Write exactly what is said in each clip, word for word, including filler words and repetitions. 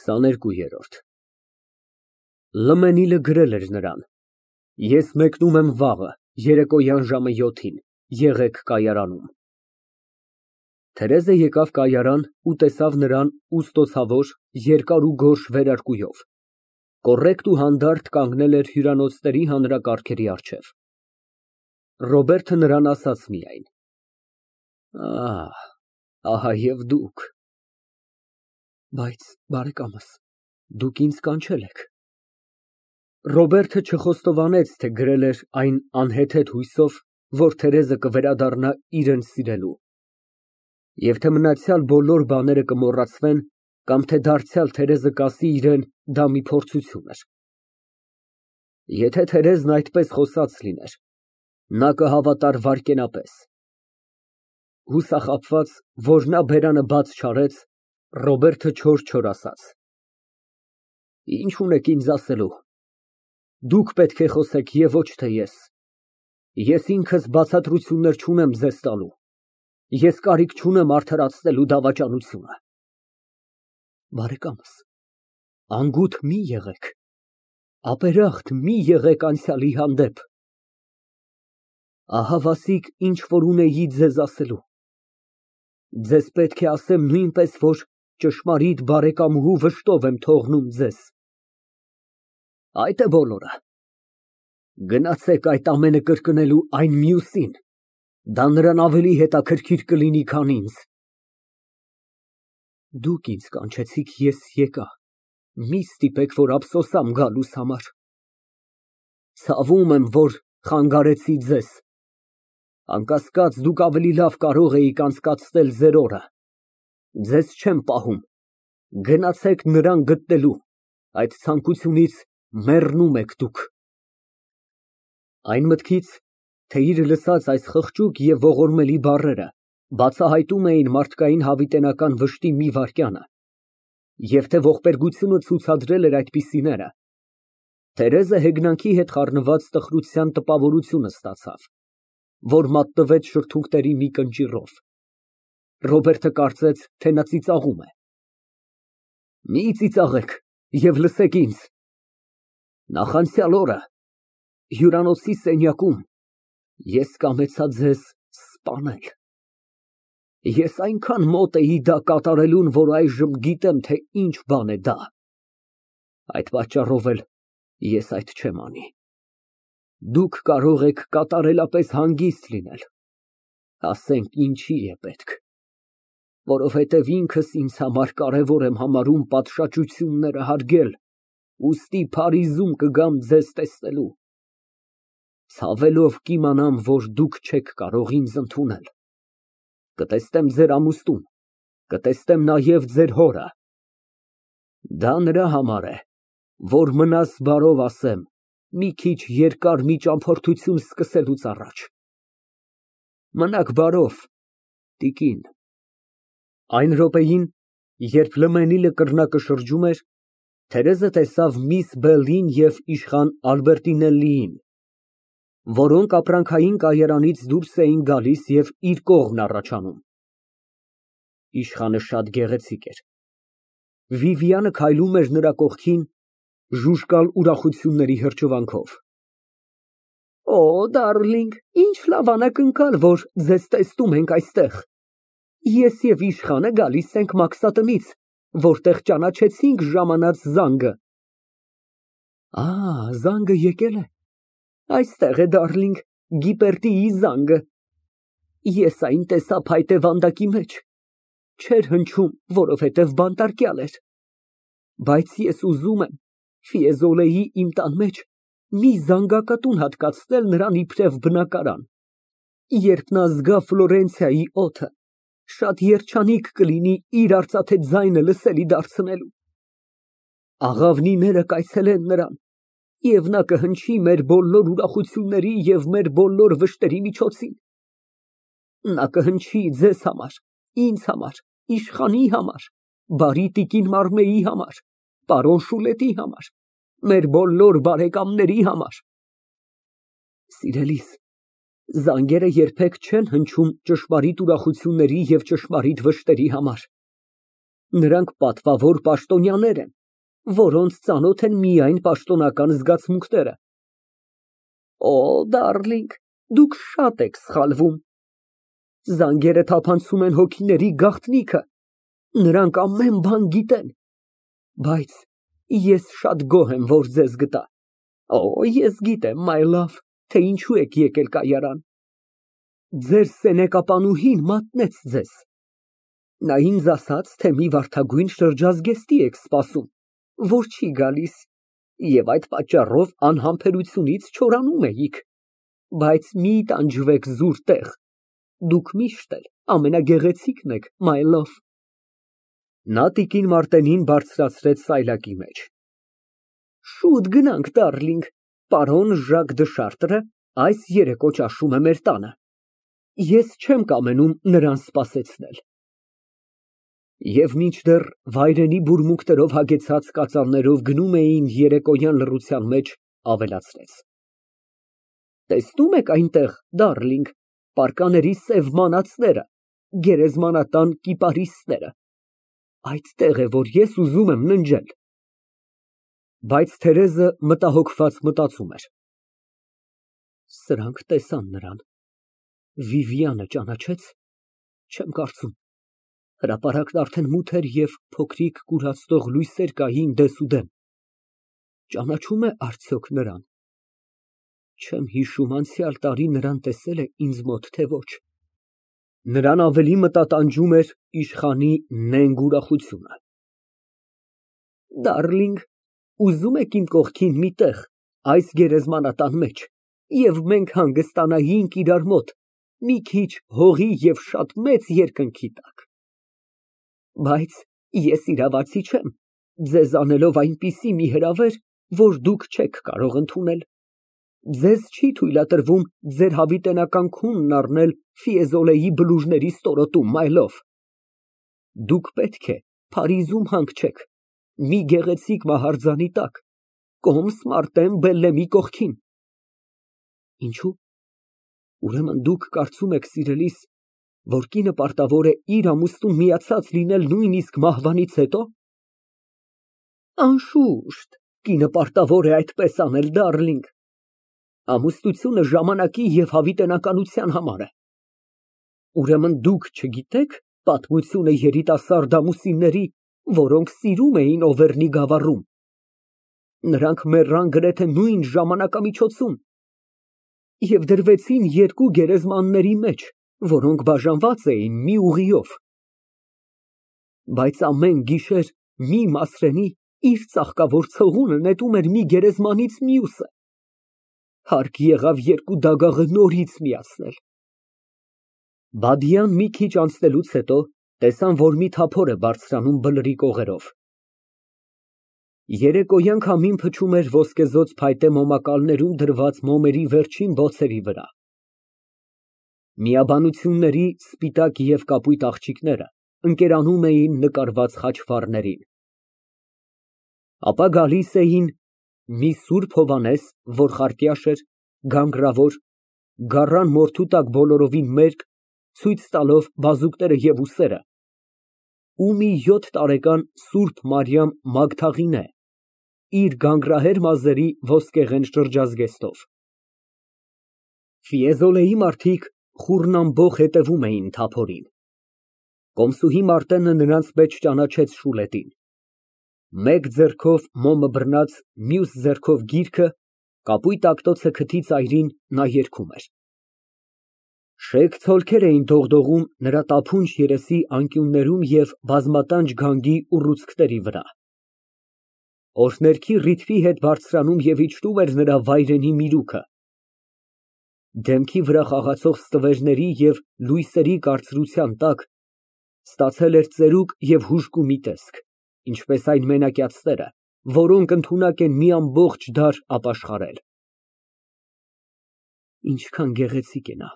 քսաներկու։ Լըմենիլը գրել էր նրան. «Ես մեկնում եմ վաղը, երեկոյան ժամը յոթին, եղեք կայարանում»։ Թերեզը եկավ կայարան ու տեսավ նրան ուստոցավոր, երկար ու գորշ վերարկուով, կոռեկտ ու հանդարտ կանգնել էր հյուրանոցների հանրակարգերի առջև։ Ռոբերտը նրան ասաց միայն. Ահ, ահա և դուք։ Բայց, բարեկամս, դուք ինձ կանչել եք։ Ռոբերտը չխոստովանեց, թե գրել էր այն անհեթեթ հույսով, որ Թերեզը կվերադառնա իրան սիրելու, և թե մնացյալ բոլոր բաները կմոռացվեն, կամ թե դարձյալ Թերեզը կասի իրան դա մի փորձություն էր։ Եթե Թերեզն այդպես խոսած լիներ, նա կհավատար վայրկենապես։ Հուսախաբված, որ նա բերանը բաց չարեց, Ռոբերտը չոր֊չոր ասաց. Ինչ ունեք ինձ ասելու։ Դուք պետք է խոսեք և ոչ թե ես։ Ես ինքս բացատրություններ չունեմ ձեզ տալու։ Ես կարիք չունեմ արդարացնելու դավաճանությունը։ Բարեկամս, անգութ մի եղեք, ապերախտ մի եղեք անցյալի հանդեպ։ Ահա, Վասիկ, ինչ որ ունեի ձեզ ասելու։ Ձեզ պետք է ասեմ նույնպես, որ ճշմարիտ բարեկամուհու վշտով եմ թողնում ձեզ։ Այդ է բոլորը։ Գնացեք այդ ամենը կրկնելու այն մյուսին, դա նրան ավելի հետաքրքիր կլինի, քան ինձ։ Դուք ինձ կանչեցիք, ես եկա, մի ստիպեք, որ ափսոսամ գալուս համար։ Ցավում եմ, որ խանգարեցի ձեզ։ Անկասկած, դուք ավելի լավ կարող էիք անցկացնել ձեր օրը։ Ձեզ չեմ պահում։ Գնացեք նրան գտնելու, այդ ցանկությունից մեռնում եք դուք։ Այն մտքից, թե իր լսած այս խղճուկ և ողորմելի բառերը բացահայտում էին մարդկային հավիտենական վշտի մի վայրկյանը, և թե ողբերգությունը ցուցադրել էր այդպիսիները, Թերեզը հեգնանքի հետ խառնված տխրության տպավորությունը ստացավ, որ մատնվեց շրթունքների մի կնճիռով։ Ռոբերտը կարծեց, թե նա ծիծաղում է։ Մի ծիծաղեք և լսեք ինձ։ Նախանցյալ օրը հյուրանոցի սենյակում ես կամեցա ձեզ սպանել։ Ես այնքան մոտ էի դա կատարելուն, որ այժմ գիտեմ, թե ինչ բան է դա։ Այդ պատճառով էլ ես այդ չեմ անի։ Դուք կարող եք կատարելապես հանգիստ լինել, ասենք ինչի է պետք, որովհետև ինքս ինձ համար կարևոր եմ համարում պատշաճությունները հարգել, ուստի Փարիզում կգամ ձեզ տեսնելու։ Ցավելով կիմանամ, որ դուք չեք կարող ինձ ընդունել։ Կտեսնեմ ձեր ամուսնուն, կտեսնեմ նաև ձեր հորը։ Դա նրա համար է, որ մնաս բարով ասեմ, մի քիչ երկար մի ճամփորդություն սկսելուց առաջ։ Մնաք բարով, տիկին։ Այն րոպեին, երբ Լըմենիլը կռնակը շրջում էր, Թերեզը տեսավ միս Բելլին և իշխան Ալբերտինելլիին, որոնք ապրանքային կայարանից դուրս էին գալիս և իր կողմն առաջանում։ Իշխանը շատ գեղեցիկ էր։ Վիվիանը քայլում էր նրա կողքին, ժուժկալ ուրախությունների հրճվանքով։ Օ, դարլինգ, ինչ լավ անակնկալ, որ ձեզ տեսնում ենք այստեղ։ Ես և իշխանը գալիս ենք Մաքսատնից, որտեղ ճանաչեցինք ժամանած զանգը։ Ա, զանգը եկել է։ Այստեղ է, դարլինգ, Գիպերտիի զանգը։ Ես այն տեսա փայտե վանդակի մեջ։ Չէր հնչում, որովհետև բանտարկյալ էր։ Բայց ես ուզում եմ Ֆիեզոլեի իմ տան մեջ մի զանգակատուն հատկացնել նրան իբրև բնակարան։ Երբ նա զգա Ֆլորենցիայի օդը, շատ երջանիկ կլինի իր արծաթե ձայնը լսելի դարձնելու։ Աղավնիները կայցելեն նրան, և նա կհնչի մեր բոլոր ուրախությունների և մեր բոլոր վշտերի միջոցին։ Նա կհնչի ձեզ համար, ինձ համար, իշխանի համար, բարի տիկին Մարմեի համար, պարոն Շուլետի համար, մեր բոլոր բարեկամների համար։ Սիրելիս, զանգերը երբեք չեն հնչում ճշմարիտ ուրախությունների և ճշմարիտ վշտերի համար։ Նրանք պատվավոր պաշտոնյաներ են, որոնց ծանոթ են միայն պաշտոնական զգացմունքները։ Օ, դարլինգ, դուք շատ եք սխալվում։ Զանգերը թափանցում են հոգիների գաղտնիքը, նրանք ամեն բան գիտեն, բայց ես շատ գոհ եմ, որ ձեզ գտա։ Օ, ես գիտեմ, my love, թե ինչու եք եկել կայարան։ Ձեր սենեկապանուհին մատնեց ձեզ։ Նա ինձ ասաց, թե մի վարդագույն շրջազգեստի եք սպասում, որ չի գալիս, և այդ պատճառով անհամբերությունից չորանում էիք, բայց մի տանջվեք զուր տեղ, դուք միշտ էլ ամենագեղեցիկն եք, my love։ Նա տիկին Մարտենին բարձրացրեց սայլակի մեջ։ Շուտ գնանք, դարլինգ, պարոն Ժակ դը Շարտրը այս երեկո ճաշում է մեր տանը։ Ես չեմ կամենում նրան սպասեցնել։ Եվ մինչդեռ վայրենի բուրմունքներով հագեցած կածաններով գնում էին երեկոյան լռության մեջ, ավելացրեց. Տեսնում եք այնտեղ, դարլինգ, պարկաների սև մանածները, գերեզմանատան կիպարիսները։ Այդտեղ է, որ ես ուզում եմ ննջել։ Բայց Թերեզը մտահոգված մտածում էր. Սրանք տեսան նրան, Վիվիանը ճանաչե՞ց, չեմ կարծում, հրապարակն արդեն մութ էր և փոքրիկ կուրացնող լույսեր կային դեսուդեն, ճանաչո՞ւմ է արդյոք նրան, չեմ հիշում անցյալ տարի նրան տեսել է ինձ մոտ, թե ոչ։ Նրան ավելի մտատանջում էր իշխանի նենգ ուրախությունը։ Դարլինգ, ուզում եք իմ կողքին մի տեղ, այս գերեզմանատան մեջ, և մենք հանգստանայինք իրար մոտ, մի քիչ հողի և շատ մեծ երկնքի տակ։ Բայց ես իրավացի չեմ, ձեզ անելով այնպիսի մի հրավեր, որ դուք չեք կարող ընդունել։ Ձեզ չի թույլատրվում ձեր հավիտենական քունն առնել Ֆիեզոլեի բլուրների ստորոտում, my love։ Դուք պետք է Փարիզում հանգչեք, մի գեղեցիկ մահարձանի տակ, կոմս Մարտեն Բելլեմի կողքին։ Ինչո՞ւ։ Ուրեմն դուք կարծում եք, սիրելիս, որ կինը պարտավոր է իր ամուսնուն միացած լինել նույնիսկ մահվանից հետո։ Անշուշտ, կինը պարտավոր է այդպես անել, դարլինգ։ Ամուսնությունը ժամանակի և հավիտենականության համար է։ Ուրեմն դուք չգիտեք պատմությունը երիտասարդ ամուսինների, որոնք սիրում էին Օվերնի գավառում։ Նրանք մեռան գրեթե նույն ժամանակամիջոցում և դրվեցին երկու գերեզմանների մեջ, որոնք բաժանված էին մի ուղիով։ Բայց ամեն գիշեր մի Մասրենի իր ծաղկավոր ցողունը նետում էր մի գերեզմանից մյուսը։ Հարկ եղավ երկու դագաղը նորից միացնել։ Բադիան մի քիչ անցնելուց հետո տեսան, որ մի թափոր է բարձրանում բլրի կողերով։ Երեկոյան քամին փչում էր ոսկեզօծ փայտե մոմակալներում դրված մոմերի վերջին բոցերի վրա։ Միաբանությունների սպիտակ և կապույտ աղջիկները ընկերանում էին նկարված խաչվառներին։ Ապա գալիս էին մի Սուրբ Հովհաննես, որ խարտյաշ էր, գանգրավոր, գառան մորթու տակ բոլորովին մերկ, ցույց տալով բազուկները և ուսերը, ու մի յոթ տարեկան Սուրբ Մարիամ Մագդաղինե, իր գանգրահեր մազերի ոսկեղեն շրջազգեստով։ Ֆիեզոլեի մարդիկ խուռնամբոխ հետևում էին թափորին։ Կոմսուհի Մարտենը նրանց մեջ ճանաչեց Շուլետին։ Մեկ ձեռքով մոմը բռնած, մյուս ձեռքով գիրքը, կապույտ ակտոցը քթի ծայրին, նա երգում էր։ Շեկ ցոլքեր էին դողդողում նրա տափունջ երեսի անկյուններում և բազմատանջ գանգի ուռուցքների վրա։ Օրհներքի ռիթմի հետ բարձրանում և իջնում էր նրա վայրենի միրուքը։ Դեմքի վրա խաղացող ստվերների և լույսերի կարծրության տակ ստացել էր ծերուկ և հուժկու մի տեսք, ինչպես այն մենակյացները, որոնք ընդունակ են մի ամբողջ դար ապաշխարել։ Ինչքան գեղեցիկ է նա,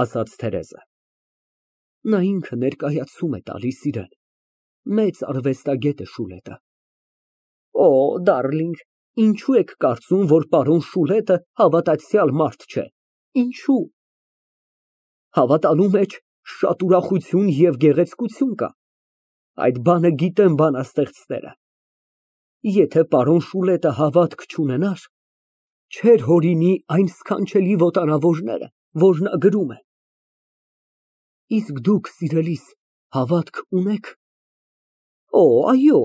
ասաց Թերեզը։ Նա ինքը ներկայացում է տալիս իրան, մեծ արվեստագետ է Շուլետը։ Օ, դարլինգ, ինչո՞ւ եք կարծում, որ պարոն Շուլետը հավատացյալ մարդ չէ, ինչո՞ւ։ Հավատալու մեջ շատ ուրախություն և գեղեցկություն կա, այդ բանը գիտեն բանաստեղծները։ Եթե պարոն Շուլետը հավատք չունենար, չէր հորինի այն սքանչելի ոտանավորները, որ նա գրում է։ Իսկ դուք, սիրելիս, հավատք ունե՞ք։ Օ, այո,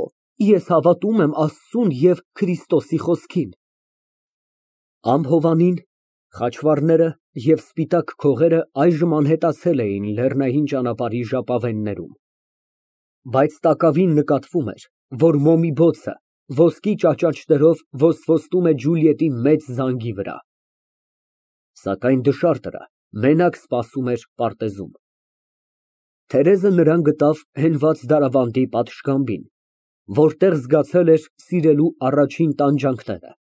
ես հավատում եմ Աստծուն և Քրիստոսի խոսքին։ Ամփոփանին, խաչվառները և սպիտակ քողերը այժմ անհետացել էին լեռնային ճանապարհի ժապավեններում, բայց տակավին նկատվում էր, որ մոմի բոցը ոսկի ճաճաճներով ոսկորվում է Ջուլիետի մեծ զանգի վրա, սակայն դշարտը մենակ սպասում էր պարտեզում։ Թերեզը նրան գտավ հենված դարավանդի պատշգամբին, որտեղ զգացել էր սիրելու առաջին տանջանքները։